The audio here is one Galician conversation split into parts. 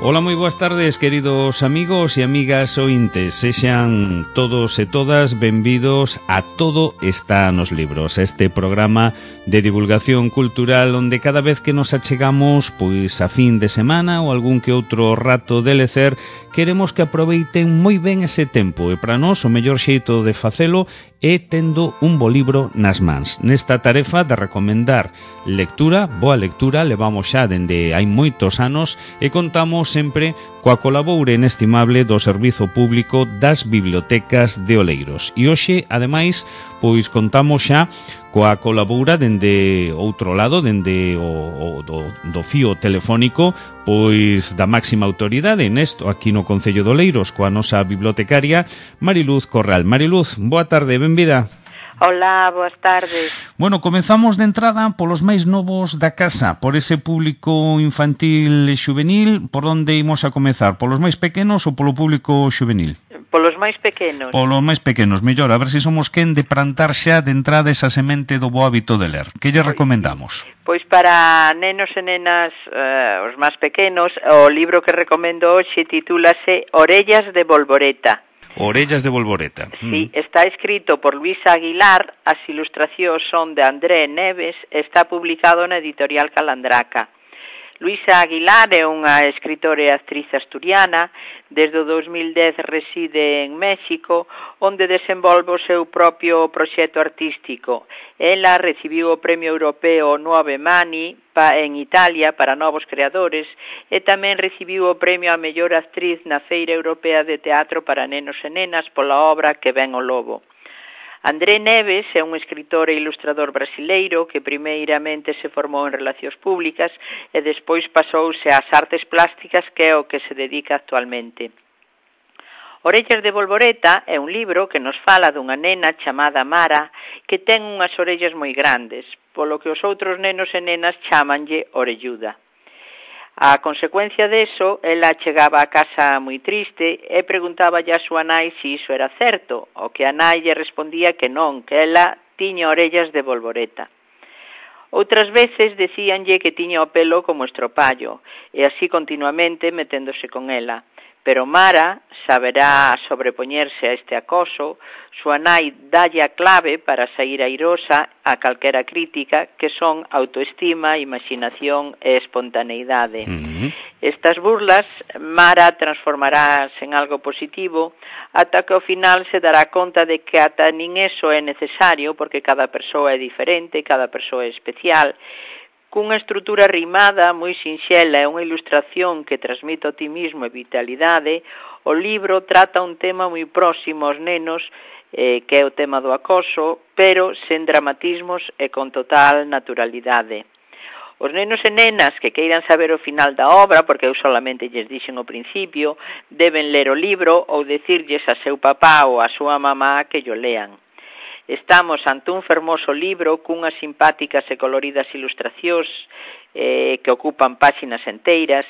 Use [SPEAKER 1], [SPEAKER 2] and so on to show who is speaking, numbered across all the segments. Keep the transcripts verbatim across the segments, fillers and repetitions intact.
[SPEAKER 1] Ola, moi boas tardes, queridos amigos e amigas ointes. Sexan todos e todas benvidos a Todo está nos libros, este programa de divulgación cultural onde cada vez que nos achegamos pois a fin de semana ou algún que outro rato de lecer, queremos que aproveiten moi ben ese tempo e para nós o mellor xeito de facelo é tendo un bo libro nas mans. Nesta tarefa de recomendar lectura, boa lectura, levamos xa dende hai moitos anos e contamos sempre coa colaboure inestimable do Servizo Público das Bibliotecas de Oleiros. E hoxe, ademais, pois contamos xa coa colaboura dende outro lado, dende o, o do, do fío telefónico, pois da máxima autoridade nesto aquí no Concello de Oleiros, coa nosa bibliotecaria Mariluz Corral. Mariluz, boa tarde, benvida.
[SPEAKER 2] Hola, boas tardes.
[SPEAKER 1] Bueno, comezamos de entrada polos máis novos da casa, por ese público infantil e xuvenil. Por onde imos a comezar? Polos máis pequenos ou polo público xuvenil?
[SPEAKER 2] Polos máis pequenos.
[SPEAKER 1] Polos máis pequenos, mellor, a ver se somos quen de plantar xa de entrada esa semente do bo hábito de ler. Que lle recomendamos?
[SPEAKER 2] Pois para nenos e nenas, eh, os máis pequenos, o libro que recomendo hoxe titúlase Orellas de Bolboreta.
[SPEAKER 1] Orellas de Bolboreta.
[SPEAKER 2] Sí, está escrito por Luisa Aguilar, as ilustracións son de André Neves, está publicado na editorial Calandraca. Luisa Aguilar é unha escritora e actriz asturiana, desde o dos mil dez reside en México, onde desenvolve o seu propio proxecto artístico. Ela recibiu o Premio Europeo Nuove Mani en Italia para novos creadores e tamén recibiu o Premio a Mellor Actriz na Feira Europea de Teatro para Nenos e Nenas pola obra Que ven o lobo. André Neves é un escritor e ilustrador brasileiro que primeiramente se formou en Relacións Públicas e despois pasouse ás artes plásticas, que é o que se dedica actualmente. Orellas de Bolboreta é un libro que nos fala dunha nena chamada Mara que ten unhas orellas moi grandes, polo que os outros nenos e nenas chámanlle orelluda. A consecuencia deso, ela chegaba a casa moi triste e preguntáballe a súa nai se iso era certo, o que a nai lle respondía que non, que ela tiña orellas de bolboreta. Outras veces decíanlle que tiña o pelo como estropallo, e así continuamente meténdose con ela. Pero Mara saberá sobrepoñerse a este acoso, súa nai dalle a clave para sair airosa a calquera crítica, que son autoestima, imaginación e espontaneidade. Uh-huh. Estas burlas, Mara transformarás en algo positivo, ata que ao final se dará conta de que ata nin eso é necesario, porque cada persoa é diferente, cada persoa é especial. Cunha estrutura rimada, moi sinxela e unha ilustración que transmite otimismo e vitalidade, o libro trata un tema moi próximo aos nenos, eh, que é o tema do acoso, pero sen dramatismos e con total naturalidade. Os nenos e nenas que queiran saber o final da obra, porque eu solamente lles dixen o principio, deben ler o libro ou decirlles a seu papá ou a súa mamá que yo lean. Estamos ante un fermoso libro cunhas simpáticas e coloridas ilustracións eh, que ocupan páxinas enteiras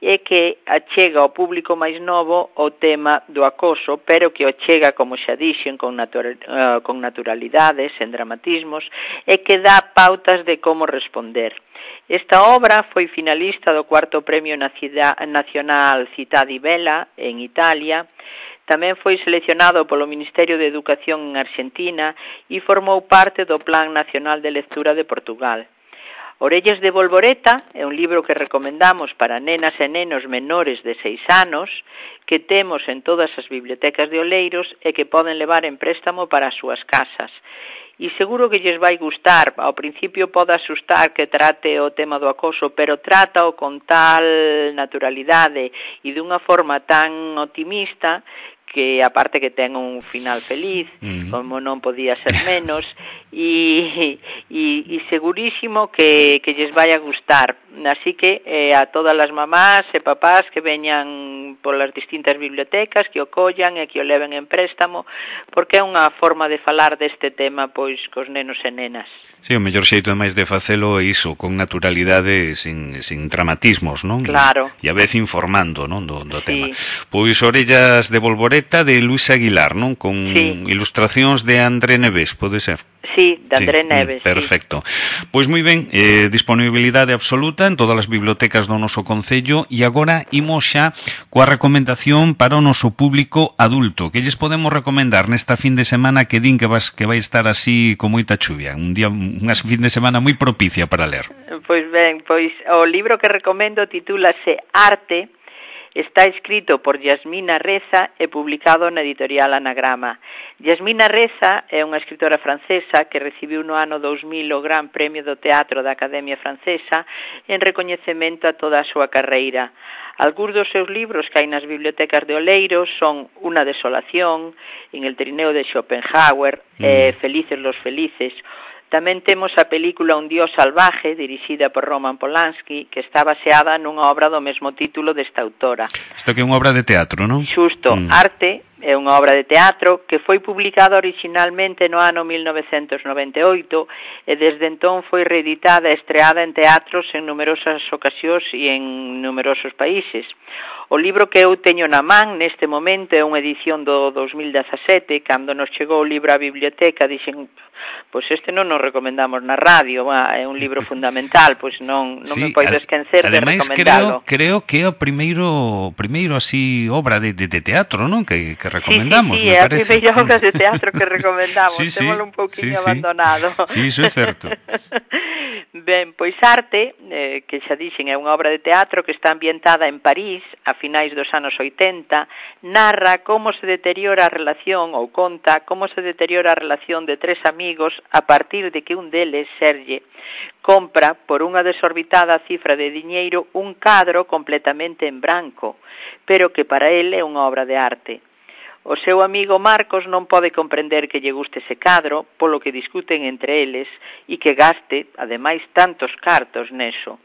[SPEAKER 2] e que achega ao público máis novo o tema do acoso, pero que o chega, como xa dixen, con, natura, uh, con naturalidade, sen dramatismos, e que dá pautas de como responder. Esta obra foi finalista do cuarto Premio Nacional Città di Vela en Italia. Tamén foi seleccionado polo Ministerio de Educación en Argentina e formou parte do Plan Nacional de Lectura de Portugal. Orellas de Bolboreta é un libro que recomendamos para nenas e nenos menores de seis anos, que temos en todas as bibliotecas de Oleiros e que poden levar en préstamo para as súas casas. E seguro que lles vai gustar. Ao principio pode asustar que trate o tema do acoso, pero trata-o con tal naturalidade e dunha forma tan optimista que aparte que ten un final feliz, uh-huh. como non podía ser menos, e, e, e segurísimo que, que lles vai a gustar. Así que eh, a todas as mamás e papás que veñan polas distintas bibliotecas, que o collan e que o leven en préstamo, porque é unha forma de falar deste tema pois cos nenos e nenas.
[SPEAKER 1] Sí, o mellor xeito é máis de facelo é iso, con naturalidade, sin, sin dramatismos, non?
[SPEAKER 2] Claro.
[SPEAKER 1] E a vez informando, non, do, do
[SPEAKER 2] sí.
[SPEAKER 1] tema. Pois Orellas de Bolboreta de Luisa Aguilar, non? Con
[SPEAKER 2] sí.
[SPEAKER 1] ilustracións de André Neves, pode ser?
[SPEAKER 2] Sí, de André
[SPEAKER 1] sí,
[SPEAKER 2] Neves.
[SPEAKER 1] Perfecto. Sí. Pois moi ben, eh, disponibilidade absoluta en todas as bibliotecas do noso concello e agora imos xa coa recomendación para o noso público adulto. Que lles podemos recomendar nesta fin de semana que din que vas que vai estar así con moita chuvia? Un día, unha fin de semana moi propicia para ler.
[SPEAKER 2] Pois ben, pois o libro que recomendo titúlase Arte. Está escrito por Yasmina Reza e publicado na editorial Anagrama. Yasmina Reza é unha escritora francesa que recibiu no ano dous mil o Gran Premio do Teatro da Academia Francesa en recoñecemento a toda a súa carreira. Algúns dos seus libros que hai nas bibliotecas de Oleiros son Una desolación, En el trineo de Schopenhauer, mm. e Felices los felices. Tamén temos a película Un dios salvaje, dirixida por Roman Polanski, que está baseada nunha obra do mesmo título desta autora.
[SPEAKER 1] Isto que é unha obra de teatro, non?
[SPEAKER 2] Xusto, mm. Arte é unha obra de teatro que foi publicada originalmente no ano mil novecentos noventa e oito e desde entón foi reeditada e estreada en teatros en numerosas ocasións e en numerosos países. O libro que eu teño na man neste momento é unha edición do dos mil dezasete, cando nos chegou o libro á biblioteca, dixen, pois este non nos recomendamos na radio, bah, é un libro fundamental, pois non, non sí, me poido esquecer de recomendalo.
[SPEAKER 1] Creo, creo que é o primeiro, primeiro así, obra de, de, de teatro, non? Que, que recomendamos,
[SPEAKER 2] sí, sí, sí,
[SPEAKER 1] me
[SPEAKER 2] é
[SPEAKER 1] parece.
[SPEAKER 2] a primeira obra de teatro que recomendamos,
[SPEAKER 1] sí, sí,
[SPEAKER 2] témolo un pouquinho
[SPEAKER 1] sí,
[SPEAKER 2] abandonado.
[SPEAKER 1] Sí, iso é certo.
[SPEAKER 2] Ben, pois Arte, eh, que xa dixen é unha obra de teatro que está ambientada en París a finais dos anos oitenta, narra como se deteriora a relación ou conta como se deteriora a relación de tres amigos a partir de que un deles, Serge, compra por unha desorbitada cifra de diñeiro un cadro completamente en branco, pero que para el é unha obra de arte. O seu amigo Marcos non pode comprender que lle guste ese cadro, polo que discuten entre eles e que gaste, ademais, tantos cartos neso.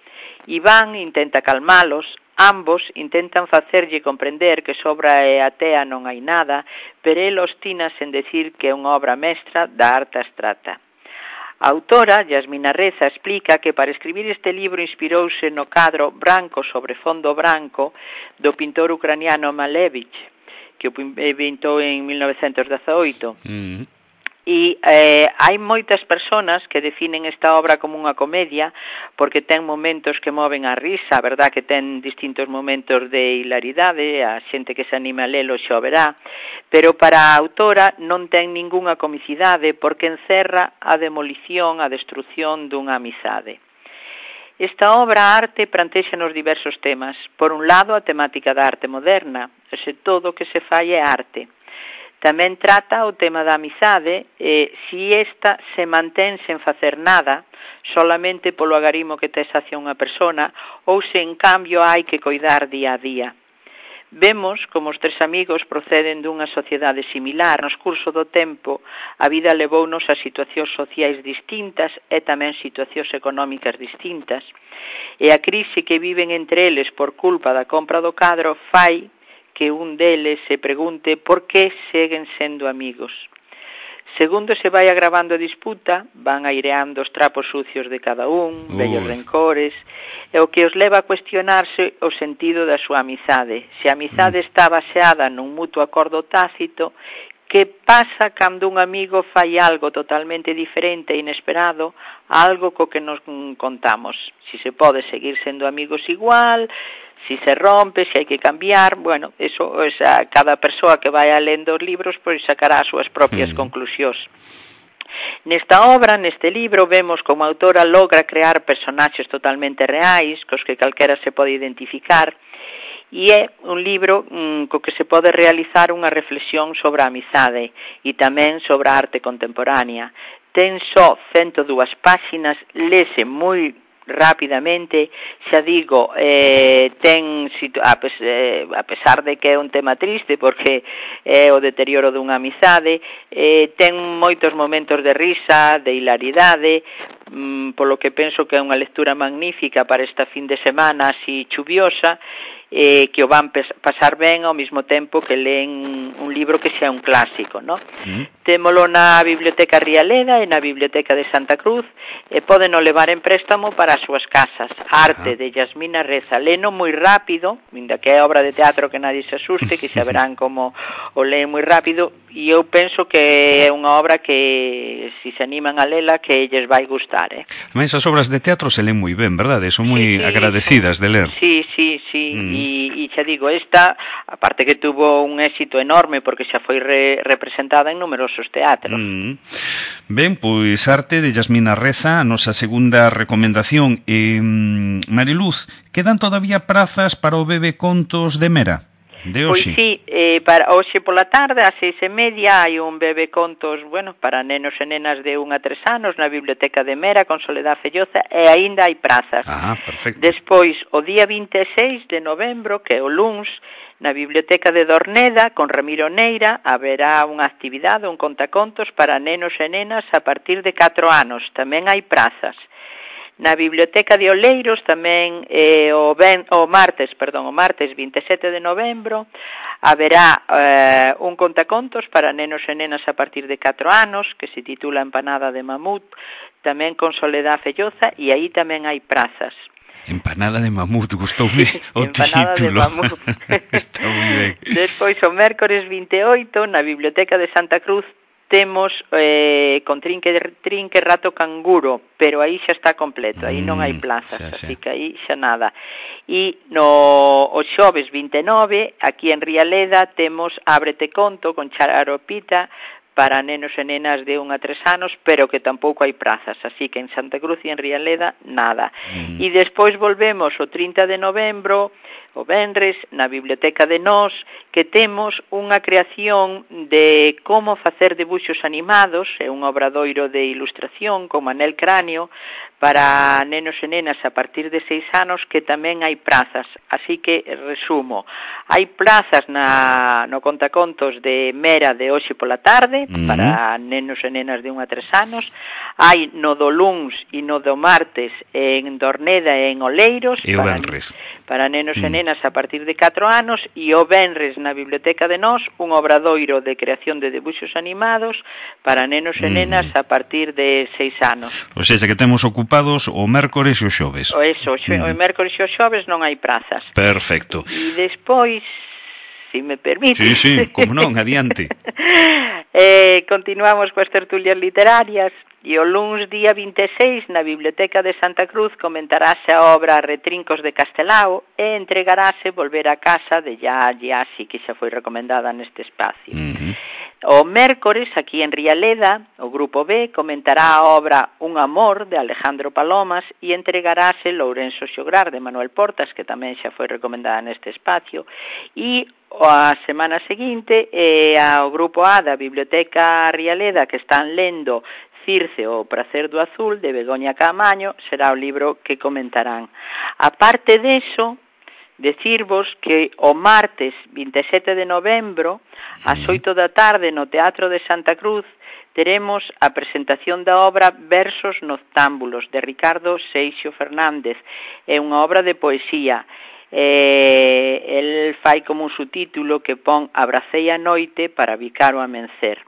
[SPEAKER 2] Iván intenta calmalos, ambos intentan facerlle comprender que sobra e atea non hai nada, pero el ostínase en decir que é unha obra mestra da arte abstrata. A autora, Yasmina Reza, explica que para escribir este libro inspirouse no cadro Branco sobre fondo branco do pintor ucraniano Malevich, que o pintou en mil novecentos dezaoito. Mm. E eh, hai moitas persoas que definen esta obra como unha comedia porque ten momentos que moven a risa, a verdad que ten distintos momentos de hilaridade, a xente que se anima a lelo xa o verá, pero para a autora non ten ningunha comicidade porque encerra a demolición, a destrucción dunha amizade. Esta obra arte plantexa nos diversos temas. Por un lado, a temática da arte moderna, ese todo que se fai é arte. Tamén trata o tema da amizade e si esta se mantén sen facer nada, solamente polo agarimo que tes hacia unha persona, ou se en cambio hai que coidar día a día. Vemos como os tres amigos proceden dunha sociedade similar. No curso do tempo, a vida levounos a situacións sociais distintas e tamén situacións económicas distintas. E a crise que viven entre eles por culpa da compra do cadro fai que un deles se pregunte por que seguen sendo amigos. Segundo se vai agravando a disputa, van aireando os trapos sucios de cada un, Uy. vellos rencores, e o que os leva a cuestionarse o sentido da súa amizade. Se a amizade mm. está baseada nun mutuo acordo tácito, que pasa cando un amigo fai algo totalmente diferente e inesperado a algo co que nos contamos? Si se pode seguir sendo amigos igual, si se rompe, si hai que cambiar, bueno, eso, esa, cada persoa que vai lendo os libros pois sacará as súas propias mm. conclusións. Nesta obra, neste libro, vemos como a autora logra crear personaxes totalmente reais, cos que calquera se pode identificar, e é un libro mm, co que se pode realizar unha reflexión sobre a amizade e tamén sobre a arte contemporánea. Ten só ciento dúas páxinas, lese moi rapidamente, xa digo, eh, ten a, pes, eh, a pesar de que é un tema triste porque é o deterioro dunha amizade, eh, ten moitos momentos de risa, de hilaridade, mm, polo que penso que é unha lectura magnífica para esta fin de semana así chuviosa, eh, que o van pasar ben ao mesmo tempo que leen un libro que xa é un clásico, no? Mm. Témolo na Biblioteca Rialeda e na Biblioteca de Santa Cruz, e poden o levar en préstamo para as súas casas. Arte, de Yasmina Reza, leno moi rápido, ainda que é obra de teatro que nadie se asuste, que xa verán como o leen moi rápido, e eu penso que é unha obra que, se se animan a lela, que lles vai gustar, eh?
[SPEAKER 1] Mas as obras de teatro se leen moi ben, verdade? Son moi sí, sí, agradecidas de ler.
[SPEAKER 2] Sí, sí, sí, mm. e, e xa digo, esta, aparte que tuvo un éxito enorme, porque xa foi re, representada en numerosos teatros.
[SPEAKER 1] Mm. Ben, pois Arte, de Yasmina Reza, a nosa segunda recomendación. Eh, Mariluz, quedan todavía prazas para o Bebe Contos de Mera? De hoxe?
[SPEAKER 2] Pois sí, eh, para hoxe pola tarde, ás seis e media, hai un Bebe Contos, bueno, para nenos e nenas de un a tres anos na Biblioteca de Mera con Soledad Felloza, e aínda hai prazas.
[SPEAKER 1] Ah, perfecto.
[SPEAKER 2] Despois, o día vinte e seis de novembro, que é o luns, na Biblioteca de Dorneda, con Ramiro Neira, haberá unha actividade, un contacontos para nenos e nenas a partir de catro anos. Tamén hai prazas. Na Biblioteca de Oleiros tamén eh, o, ben, o martes, perdón, o martes vinte e sete de novembro haberá eh, un contacontos para nenos e nenas a partir de catro anos que se titula Empanada de Mamut, tamén con Soledad Felloza, e aí tamén hai prazas.
[SPEAKER 1] Empanada de mamut, gustoume o
[SPEAKER 2] Empanada
[SPEAKER 1] título.
[SPEAKER 2] De mamut.
[SPEAKER 1] Está moi ben.
[SPEAKER 2] Despois o mércores vinte e oito na Biblioteca de Santa Cruz temos eh, con trinque, trinque rato canguro, pero aí xa está completo, aí non hai plazas, mm, xa, así xa. Que aí xa nada. E no o xoves vinte e nove, aquí en Rialeda, temos Ábrete Conto con Charopita para nenos e nenas de un a tres anos, pero que tampouco hai prazas, así que en Santa Cruz e en Rialeda, nada. Mm. E despois volvemos o trinta de novembro, o venres, na Biblioteca de Nós, que temos unha creación de como facer debuxos animados, é un obradoiro de ilustración con Manel Cráneo, para nenos e nenas a partir de seis anos, que tamén hai prazas. Así que, resumo, hai plazas na, no contacontos de Mera de hoxe pola tarde, mm-hmm. para nenos e nenas de un a tres anos, hai no do luns e no do martes en Dorneda e en Oleiros,
[SPEAKER 1] e o venres.
[SPEAKER 2] Para nenos mm. e nenas a partir de catro anos, e o venres na Biblioteca de Nós, un obradoiro de creación de debuxos animados para nenos e nenas mm. a partir de seis anos.
[SPEAKER 1] O sea, que temos ocupados o mércores e o xoves.
[SPEAKER 2] O eso, o, xo, mm. o mércores e o xoves non hai prazas.
[SPEAKER 1] Perfecto.
[SPEAKER 2] E despois, se me permite...
[SPEAKER 1] Sí, sí, como non, adiante.
[SPEAKER 2] eh, continuamos coas tertulias literarias. E o luns día vinte e seis na Biblioteca de Santa Cruz comentarase a obra Retrincos de Castelao e entregarase Volver a Casa de Ya Yasi, que xa foi recomendada neste espacio. Uh-huh. O mércores, aquí en Rialeda, o Grupo B comentará a obra Un Amor de Alejandro Palomas e entregarase Lourenço Xograr de Manuel Portas, que tamén xa foi recomendada neste espacio, e a semana seguinte eh, ao Grupo A da Biblioteca Rialeda, que están lendo Circe, o Pracer do Azul, de Begoña Caamaño, será o libro que comentarán. A parte deso, decirvos que o martes vinte e sete de novembro, ás oito da tarde, no Teatro de Santa Cruz, teremos a presentación da obra Versos Noctámbulos, de Ricardo Seixo Fernández. É unha obra de poesía. Eh, el fai como un subtítulo que pon Abracei a noite para bicar o amencer.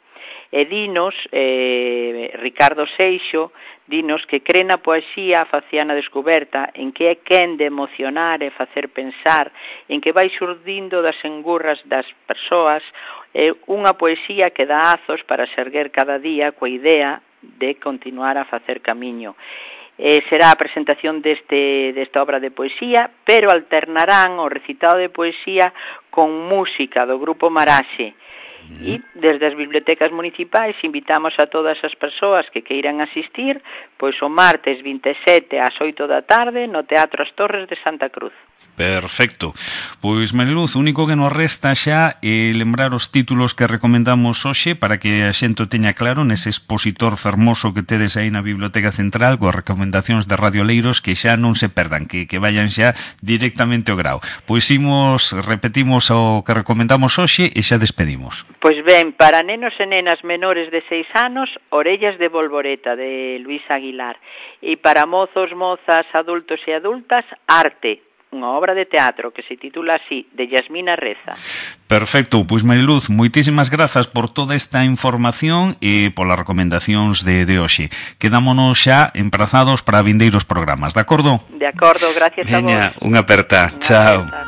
[SPEAKER 2] E dinos, eh, Ricardo Seixo, dinos que cree na poesía a faciana descoberta, en que é quen de emocionar e facer pensar, en que vai xurdindo das engurras das persoas, é unha poesía que dá azos para serguer cada día coa idea de continuar a facer camiño. Eh, será a presentación deste, desta obra de poesía, pero alternarán o recitado de poesía con música do Grupo Maraxe. E desde as bibliotecas municipais invitamos a todas as persoas que queiran asistir, pois o martes vinte e sete ás oito da tarde no Teatro As Torres de Santa Cruz.
[SPEAKER 1] Perfecto. Pois, Mariluz, o único que nos resta xa é lembrar os títulos que recomendamos hoxe para que a xente teña claro nese expositor fermoso que tedes aí na Biblioteca Central coas recomendacións de Radio Leiros, que xa non se perdan, que, que vayan xa directamente ao grao. Pois imos, repetimos o que recomendamos hoxe e xa despedimos.
[SPEAKER 2] Pois ben, para nenos e nenas menores de seis anos, Orellas de Bolboreta, de Luis Aguilar. E para mozos, mozas, adultos e adultas, Arte, unha obra de teatro que se titula así, de Yasmina Reza.
[SPEAKER 1] Perfecto, pois Mariluz, moitísimas grazas por toda esta información e polas recomendacións de, de hoxe. Quedámonos xa emprazados para vindeiros programas, de acordo?
[SPEAKER 2] De acordo, gracias a vos.
[SPEAKER 1] Veña, unha aperta,
[SPEAKER 2] Unha
[SPEAKER 1] chao.
[SPEAKER 2] aperta.